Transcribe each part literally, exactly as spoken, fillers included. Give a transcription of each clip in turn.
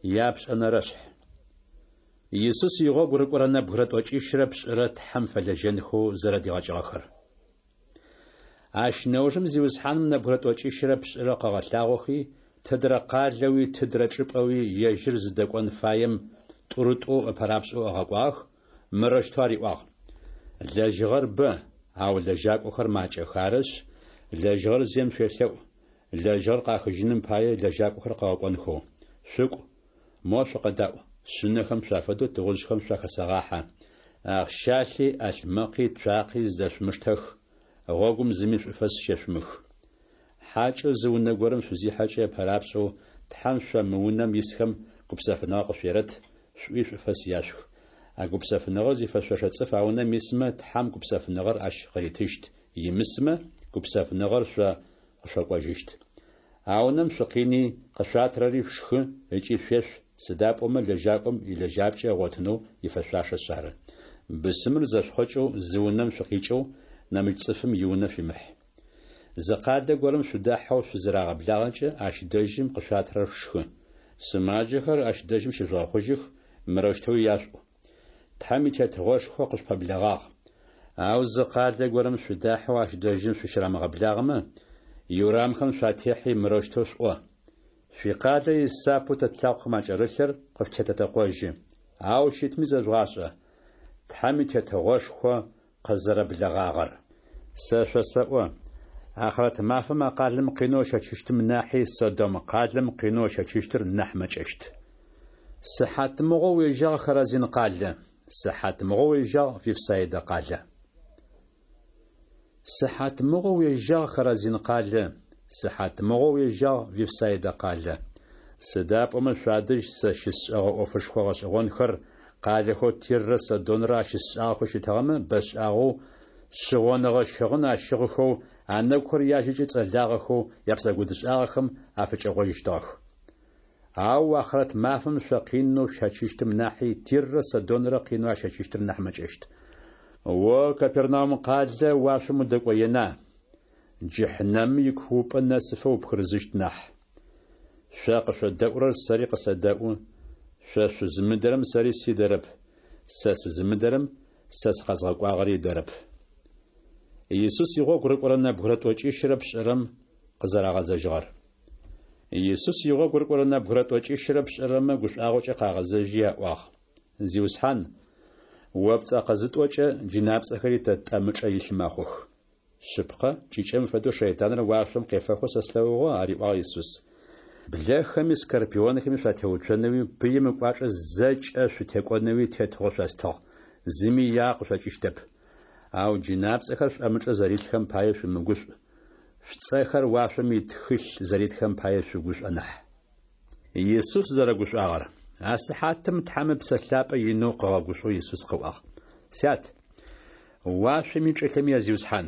Япшӏэнэрэшъхь. Исус игъогу рыкӏорэ нэбгырэ тӏокӏищрэ пшӏырэ Тхьэм фэлэжьэнхэу зэрэдигъэкӏыгъэхэр. Ащ нэужым Зиусхьаным нэбгырэ тӏокӏищрэ пшӏырэ къыгъэлъагъохи, тыдрэ къалэуи тыдрэ чӏыпӏэуи ежьыр зыдэкӏон фаем тӏурытӏоу ыпэрапшӏэу ыгъэкӏуагъэх, мырэущтэу ариӏуагъ: Лэжьыгъэр бэ, ау лэжьакӏохэр макӏэх. Арышъ, лэжьыгъэр зием шъуелъэӏу, лэжьыгъэр къахыжьыным пае лэжьакӏохэр къыгъэкӏонхэу. Шъукӏу, мо шъукъэдаӏу, шъынэхэм шъуафэдэу тыгъужъхэм шъуахэсэгъахьэ. Ахъщалъи, ӏалъмэкъи, цуакъи зыдэшъумыштэх, гъогум зыми шӏуфэс щешъумых. Хьакӏэу зы унэ горэм шъузихьэкӏэ ыпэрапшӏэу Тхьэм шъо мы унэм исхэм гупсэфыныгъэ къышъуерэт, шъуӏуи шӏуфэс яшъух. А гупсэфыныгъэр зифэшъошэ цӏыф а унэм исмэ, Тхьэм гупсэфыныгъэр ащ къыритыщт, имысмэ, гупсэфыныгъэр шъо къышъокӏожьыщт. А унэм шъукъини, къышъуатырэри шъушхы ыкӏи шъуешъу, сыда пӏомэ лэжьакӏом илэжьапкӏэ ыгъотынэу ифэшъуашэшъ ары. Бысымыр зэшъухъокӏэу зы унэм шъукъикӏэу, нэмыкӏ цӏыфым иунэ шъуимыхь. Зы къалэ горэм шъудахьэу шъузырагъэблагъэкӏэ, ащ дэжьым къышъуатырэр шъушхы. Сымаджэхэр ащ дэжьым щыжъугъэхъужьых, мырэущтэуи яшъуӏу: Тхьэм и Тетыгъошхо къышъупэблэгъагъ. Ау зы къалэ горэм шъудахьэу ащ дэжьым шъущырамыгъэблагъэмэ, иурамхэм шъуатехьи мырэущтэу шъуӏо: Шъуикъалэ исапэу тэ тлъакъохэм акӏэрылъыр къышъутетэтэкъожьы. Ау щытми зэжъугъашӏэ: Тхьэм и Тетыгъошхо къызэрэблэгъагъэр. Сэ шъосэӏо, ахърэт мафэм а къалэм къинэу ыщэчыщтым нахьи Содом къалэм къинэу ыщэчыщтыр нахь мэкӏэщт. Сыхьатмыгъо уежьагъ, Хоразин къалэ! Сыхьатмыгъо уежьагъ, Вифсаидэ къалэ! Сыхьатмыгъо уежьагъ, Хоразин къалэ! Сыхьатмыгъо уежьагъ, Вифсаидэ къалэ! Сыда пӏомэ шъуадэжь сэ щысшӏэгъэ ӏофышхо гъэшӏэгъонхэр къалэхэу Тиррэ Содонрэ ащысшӏагъэхэу щытыгъэмэ, бэшӏагъэу шъыгъоныгъэ щыгъын ащыгъыхэу, анэгухэр яжьэкӏэ цӏэлагъэхэу япсэкӏодышӏагъэхэм афыкӏэгъожьыщтыгъэх. Ау ахърэт мафэм шъо къинэу шъущэчыщтым нахьи Тиррэ Содонрэ къинэу ащэчыщтыр нахь мэкӏэщт. О, Капернаум къалэ, уашъом удэкӏоена? Джыхьнэмым икуупӏэ нэсыфэ упхырызыщт нахь. Шъо къышъодэӏурэр сэри къысэдэӏу, шъо шъузымыдэрэм сэри сидэрэп, сэ сызымыдэрэм сэ сыкъэзгъэкӏуагъэри ыдэрэп. Исус игъогу рыкӏорэ нэбгырэ тӏокӏищрэ пшӏырэм къызэрагъэзэжьыгъэр. Исус игъогу рыкӏорэ нэбгырэ тӏокӏищрэ пшӏырэмэ гушӏуагъокӏэ къагъэзэжьи аӏуагъ: Зиусхьан, о пцӏэ къызытӏокӏэ, джынапцӏэхэри тэ тӏэмычӏэ илъ мэхъух. Шъыпкъэ, кӏыкӏэм фэдэу шэйтаныр уашъом къефэхэу сэ слъэгъугъэ, ариӏуагъ Исус. Блэхэми скорпионхэми шъуатеуцонэуи пыим ыкӏуачӏэ зэкӏэ шъутекӏонэуи тетыгъо шъостыгъ, зыми иягъэ къышъокӏыщтэп. Ау джынапцӏэхэр шъуӏэмычӏэ зэрилъхэм пае шъумыгушӏу, шъуцӏэхэр уашъом итхылъ зэритхэм пае шъугушӏо нахь. Исус зэрэгушӏуагъэр. А сыхьатым Тхьэм Ыпсэ Лъапӏэ инэу къыгъэгушӏоу Исус къыӏуагъ: Сят, уашъоми чӏылъэми я Зиусхьан,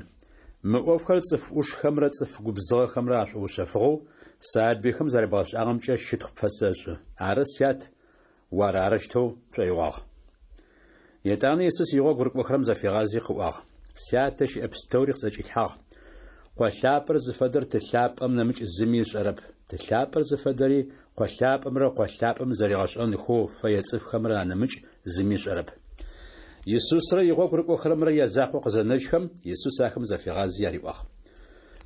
мы ӏофхэр цӏыф ӏушхэмрэ цӏыф губзыгъэхэмрэ ашӏоушъэфыгъэу, сабыйхэм зэребгъэшӏагъэмкӏэ щытхъу пфэсэшӏы. Ары, Сят, о ар арэущтэу пшӏоигъуагъ. Етӏанэ Исус игъогу рыкӏохэрэм зафигъази къыӏуагъ: Сятэ щыӏэ пстэури къысӏэкӏилъхьагъ. Къо лъапӏэр зыфэдэр Ты лъапӏэм нэмыкӏ зыми ышӏэрэп. Ты лъапӏэр зыфэдэри Къо лъапӏэмрэ Къо лъапӏэм зэригъэшӏэнхэу фэе цӏыфхэмрэ анэмыкӏ зыми ышӏэрэп. Исусрэ игъогу рыкӏохэрэмрэ язакъоу къызэнэжьхэм, Исус ахэм зафигъази ариӏуагъ: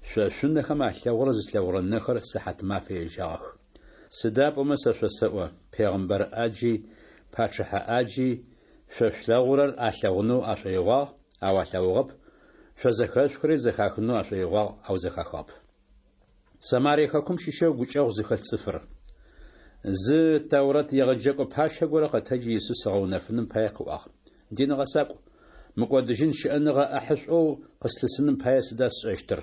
Шъо шъунэхэм алъэгъурэр зылъэгъурэ нэхэр сыхьатмафэ ежьагъэх. Сыда пӏомэ сэ шъосэӏо, пегъымбар ӏаджи, пачъыхьэ ӏаджи шъо шъулъэгъурэр алъэгъунэу ашӏоигъуагъ, ау алъэгъугъэп, шъо зэхэшъухырэри зэхахынэу ашӏоигъуагъ, ау зэхахыгъэп. Самарие хэкум щыщэу гукӏэгъу зыхэлъ цӏыфыр. Зы Тэурэт егъэджэкӏо пащэ горэ къэтэджи Исус ыгъэунэфыным пае къыӏуагъ: Дин гъэсакӏу, мыкӏодыжьын щыӏэныгъэ ӏахьышӏоу къыслъысыным пае сыда сшӏэщтыр?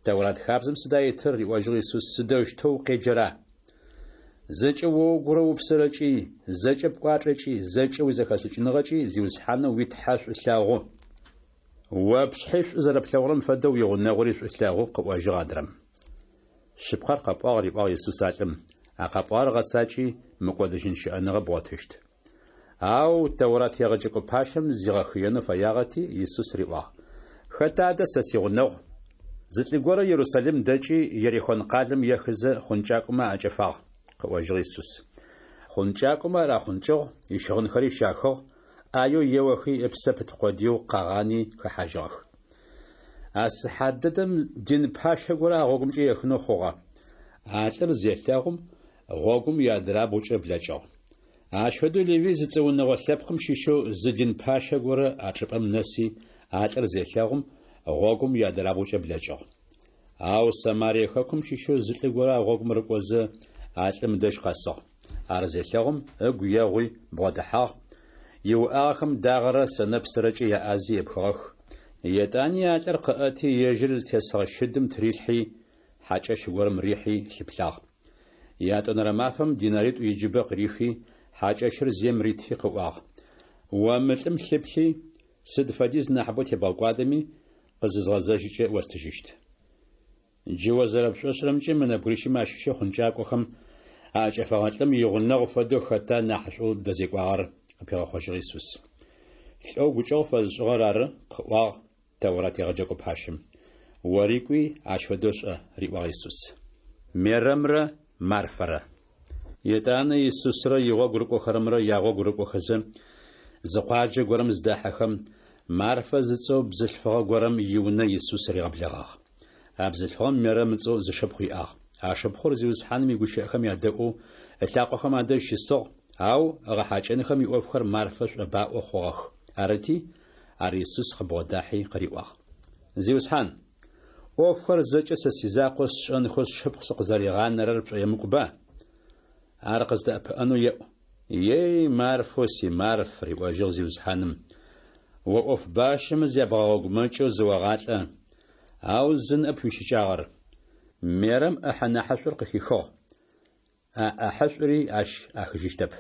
Тэурат хабзэм сыда итыр? риӏожьыгъ Исус, сыдэущтэу укъеджэра? Зэкӏэ о угурэ упсэрэкӏи, зэкӏэ пкӏуачӏэкӏи, зэкӏэ уизэхэшӏыкӏыныгъэкӏи Зиусхьанэу уи Тхьэ шӏу лъэгъу. О пшъхьи шӏу зэрэплъэгъурэм фэдэу уигъунэгъури шӏу лъэгъу, къыӏожьыгъ адрэм. Шъыпкъэр къэпӏуагъ, риӏуагъ Исус а лӏым, а къэпӏуагъэр гъэцакӏи, мыкӏодыжьын щыӏэныгъэ бгъотыщт. Ау Тэурат егъэджэкӏо пащэм зигъэхыенэу фэягъэти, Исус риӏуагъ: Хэта адэ сэ сигъунэгъу? Зы лӏы горэ Ерусалим дэкӏи, Ерихон къалэм ехызэ, хъункӏакӏомэ аӏэкӏэфагъ. къыӏожьыгъ Исус. Хъункӏакӏомэ ар ахъункӏыгъ, ищыгъынхэри щахыгъ, ӏаеу еохи, ыпсэ пыт къодыеу къагъани хэхьажьыгъэх. А сыхьат дэдэм дин пащэ горэ а гъогумкӏэ ехынэу хъугъэ. А лӏыр зелъэгъум, гъогум иадырабгъукӏэ блэкӏыгъ. Ащ фэдэу Левый зыцӏэ унэгъо лъэпкъым щыщэу зы дин пащэ горэ а чӏыпӏэм нэси, а лӏыр зелъэгъум, гъогум иадырабгъукӏэ блэкӏыгъ. Ау Самарие хэкум щыщэу зы лӏы горэ а гъогум рыкӏозэ, а лӏым ыдэжь къэсыгъ. Ар зелъэгъум, ыгу егъуи бгъодэхьагъ, иуӏагъэхэм дагъэрэ сэнэпсырэкӏэ яӏази епхыгъэх. Етӏани а лӏыр къыӏэти, ежьыр зытесыгъэ щыдым тырилъхьи, хьакӏэщ горэм рихьи лъыплъагъ. Ятӏонэрэ мафэм динаритӏу иджыбэ къырихи, хьакӏэщыр зием рити къыӏуагъ: О мы лӏым лъыплъи, сыд фэдиз нахьыбэу тебгъэкӏуадэми, къызызгъэзэжьыкӏэ остыжьыщт. Джы о зэрэпшӏошӏырэмкӏэ мы нэбгырищымэ ащыщэу хъункӏакӏохэм аӏэкӏэфэгъэ лӏым игъунэгъу фэдэу хэта нахьышӏоу дэзекӏуагъэр? къыпигъэхъожьыгъ Исус. Лӏэу гукӏэгъу фэзышӏыгъэр ары, къыӏуагъ Тэурат егъэджэкӏо пащэм. Ори кӏуи, ащ фэдэу шӏэ, риӏуагъ Исус. Мерэмрэ Марфэрэ. Етӏанэ Исусрэ игъогу рыкӏохэрэмрэ ягъогу рыкӏохэзэ, зы къуаджэ горэм зыдэхьэхэм, Марфэ зыцӏэу бзылъфыгъэ горэм иунэ Исус ригъэблэгъагъ. А бзылъфыгъэм Мерэм ыцӏэу зы шыпхъу иӏагъ. А шыпхъур Зиусхьаным игущыӏэхэм ядэӏоу ылъакъохэм адэжь щысыгъ, ау ыгъэхьакӏэнхэм иӏофхэр Марфэ шӏобаӏо хъугъэх. Арыти, ар Исус къыбгъодахьи къыриӏуагъ. Зиусхьан, ӏофхэр зэкӏэ сэ сизакъоу сшӏэнхэу сшыпхъу сыкъызэригъанэрэр пшӏоемыкӏуба? Ар къыздэӏэпыӏэнэу еӏу. Ей, Марфэу си Марф, риӏожьыгъ Зиусхьаным, о ӏоф бащэмэ зябгъэгъэгумэкӏэу зыогъалӏэ, ау зы ныӏэп уищыкӏагъэр. Мерэм ӏэхьэ нахьышӏур къыхихыгъ, а ӏэхьышӏури ащ ӏахыжьыщтэп.